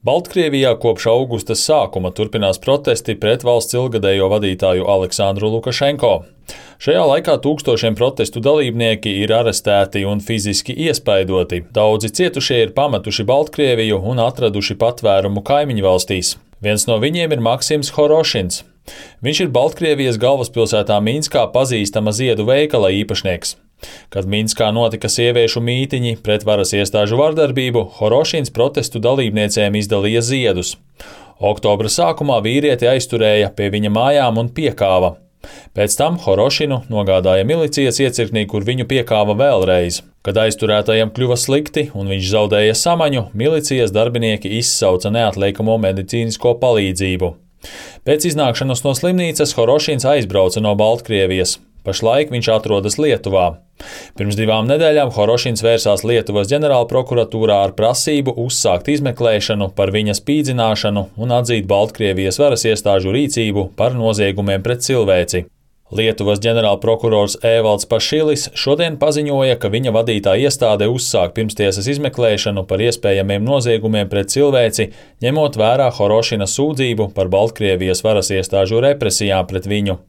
Baltkrievijā kopš augusta sākuma turpinās protesti pret valsts ilgadējo vadītāju Aleksandru Lukašenko. Šajā laikā tūkstošiem protestu dalībnieki ir arestēti un fiziski iespaidoti. Daudzi cietušie ir pametuši Baltkrieviju un atraduši patvērumu kaimiņu valstīs. Viens no viņiem ir Maksims Horošins. Viņš ir Baltkrievijas galvaspilsētā Minskā pazīstama ziedu veikala īpašnieks. Kad Minskā notika sieviešu mītiņi pret varas iestāžu vardarbību, Horošins protestu dalībniecēm izdalīja ziedus. Oktobra sākumā vīrieti aizturēja pie viņa mājām un piekāva. Pēc tam Horošinu nogādāja milicijas iecirknī, kur viņu piekāva vēlreiz. Kad aizturētajam kļuva slikti un viņš zaudēja samaņu, milicijas darbinieki izsauca neatliekamo medicīnisko palīdzību. Pēc iznākšanas no slimnīcas Horošins aizbrauca no Baltkrievijas. Pašlaik viņš atrodas Lietuvā. Pirms 2 nedēļām Horošins vērsās Lietuvas ģenerālprokuratūrā ar prasību uzsākt izmeklēšanu par viņa spīdzināšanu un atzīt Baltkrievijas varas iestāžu rīcību par noziegumiem pret cilvēci. Lietuvas ģenerālprokurors Evalds Pašilis šodien paziņoja, ka viņa vadītā iestāde uzsāk pirmstiesas izmeklēšanu par iespējamiem noziegumiem pret cilvēci, ņemot vērā Horošina sūdzību par Baltkrievijas varas iestāžu represijām pret viņu.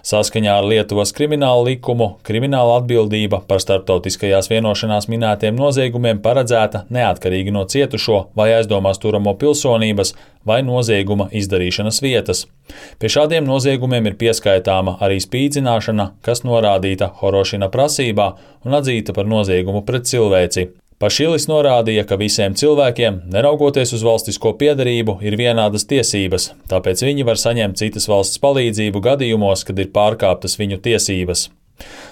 Saskaņā ar Lietuvas kriminālu likumu, krimināla atbildība par starptautiskajās vienošanās minētiem noziegumiem paredzēta neatkarīgi no cietušo vai aizdomās turamo pilsonības vai nozieguma izdarīšanas vietas. Pie šādiem noziegumiem ir pieskaitāma arī spīdzināšana, kas norādīta Horošina prasībā un atzīta par noziegumu pret cilvēci. Pašilis norādīja, ka visiem cilvēkiem, neraugoties uz valstisko piederību, ir vienādas tiesības, tāpēc viņi var saņemt citas valsts palīdzību gadījumos, kad ir pārkāptas viņu tiesības.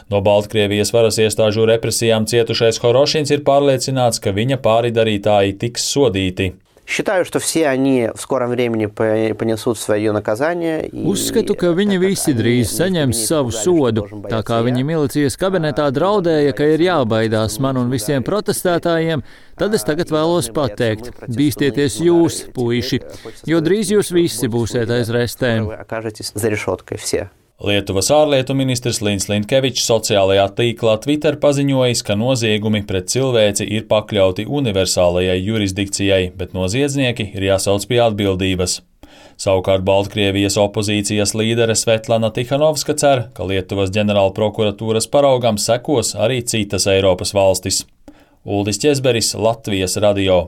No Baltkrievijas varas iestāžu represijām cietušais Horošins ir pārliecināts, ka viņa pāridarītāji tiks sodīti. Считаю, что все они в скором времени понесут свое наказание. Uzskatu, ka viņi visi drīz saņems savu sodu. Tā kā viņi milicijas kabinetā draudēja, ka ir jābaidās man un visiem protestētājiem, tad es tagad vēlos pateikt: bīstieties jūs, puiši, jo drīz jūs visi būsiet aiz restēm. Lietuvas ārlietu ministrs Līns Linkevičs sociālajā tīklā Twitter paziņojis, ka noziegumi pret cilvēci ir pakļauti universālajai jurisdikcijai, bet noziedznieki ir jāsauc pie atbildības. Savukārt Baltkrievijas opozīcijas līdere Svetlana Tihanovska cer, ka Lietuvas ģenerālprokuratūras paraugam sekos arī citas Eiropas valstis. Uldis Ķezberis, Latvijas radio.